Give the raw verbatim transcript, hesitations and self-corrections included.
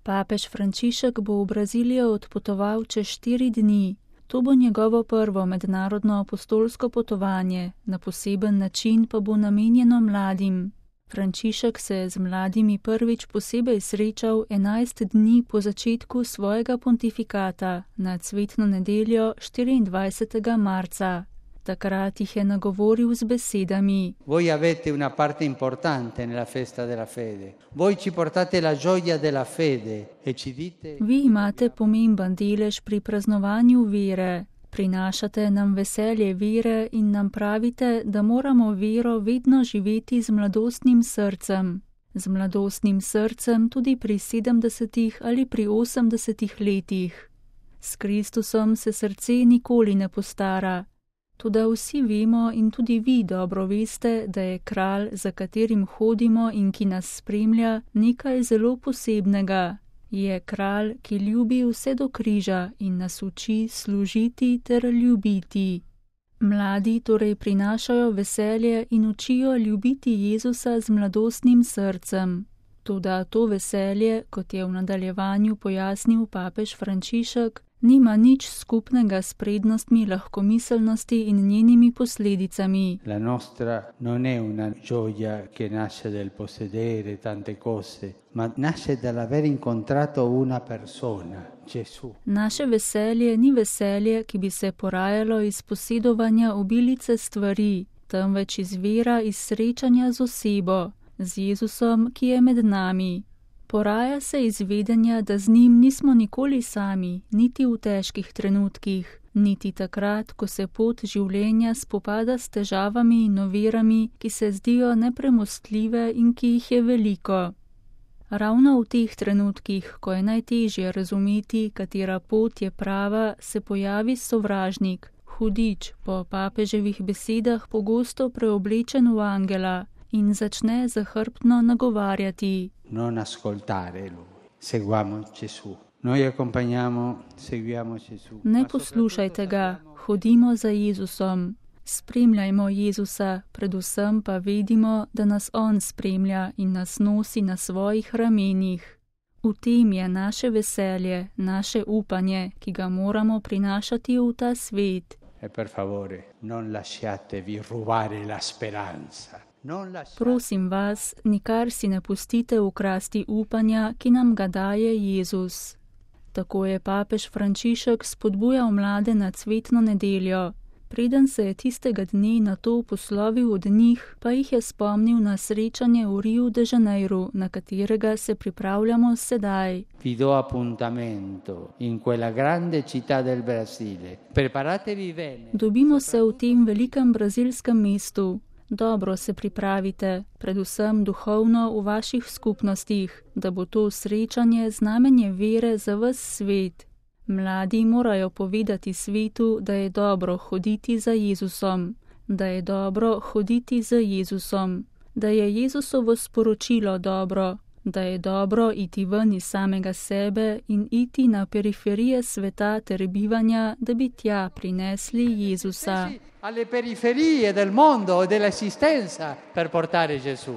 Papež Frančišek bo v Brazilijo odpotoval čez štiri dni. To bo njegovo prvo mednarodno apostolsko potovanje, na poseben način pa bo namenjeno mladim. Frančišek se je z mladimi prvič posebej srečal enajst dni po začetku svojega pontifikata na cvetno nedeljo štiriindvajsetega marca. Takrat jih je nagovoril z besedami: Voi avete una parte importante nella festa della fede. Voi ci portate la gioia della fede e ci dite: Vi imate pomemben delež pri praznovanju vere. Prinašate nam veselje vere in nam pravite, da moramo vero vedno živeti z mladostnim srcem. Z mladostnim srcem tudi pri sedemdesetih ali pri osemdesetih letih. S Kristusom se srce nikoli ne postara. Toda vsi vemo in tudi vi dobro veste, da je kralj, za katerim hodimo in ki nas spremlja, nekaj zelo posebnega. Je kralj, ki ljubi vse do križa in nas uči služiti ter ljubiti. Mladi torej prinašajo veselje in učijo ljubiti Jezusa z mladostnim srcem. Toda to veselje, kot je v nadaljevanju pojasnil papež Frančišek, nima nič skupnega s prednostmi lahkomiselnosti in njenimi posledicami. La nostra non è una gioia che nasce del possedere tante cose, ma nasce dall'aver incontrato una persona, Gesù. Naše veselje ni veselje, ki bi se porajalo iz posedovanja obilice stvari, temveč iz vera, iz srečanja z osebo, z Jezusom, ki je med nami. Poraja se iz vedenja, da z njim nismo nikoli sami, niti v težkih trenutkih, niti takrat, ko se pot življenja spopada s težavami in ovirami, ki se zdijo nepremostljive in ki jih je veliko. Ravno v teh trenutkih, ko je najtežje razumeti, katera pot je prava, se pojavi sovražnik, hudič, po papeževih besedah pogosto preoblečen v angela, in začne zahrbtno nagovarjati. Non ascoltare lui, seguiamo Gesù. Noi accompagniamo, seguiamo Gesù. Ne poslušajte ga, hodimo za Jezusom. Spremljajmo Jezusa, predvsem pa vedimo, da nas on spremlja in nas nosi na svojih ramenih. V tem je naše veselje, naše upanje, ki ga moramo prinašati v ta svet. E per favore, non lasciatevi rubare la speranza. Prosim vas, nikar si ne pustite ukrasti upanja, ki nam ga daje Jezus. Tako je papež Frančišek spodbujal mlade na cvetno nedeljo. Preden se je tistega dne na to poslovil od njih, pa jih je spomnil na srečanje v Rio de Janeiro, na katerega se pripravljamo sedaj. Vi do appuntamento in quella grande città del Brasile. Preparatevi bene. Dobimo se v tem velikem brazilskem mestu. Dobro se pripravite, predvsem duhovno v vaših skupnostih, da bo to srečanje znamenje vere za ves svet. Mladi morajo povedati svetu, da je dobro hoditi za Jezusom, da je dobro hoditi z Jezusom, da je Jezusovo sporočilo dobro, da je dobro iti ven iz samega sebe in iti na periferije sveta ter bivanja, da bi tja prinesli Jezusa. Alle periferie del mondo e dell'esistenza per portare Gesù.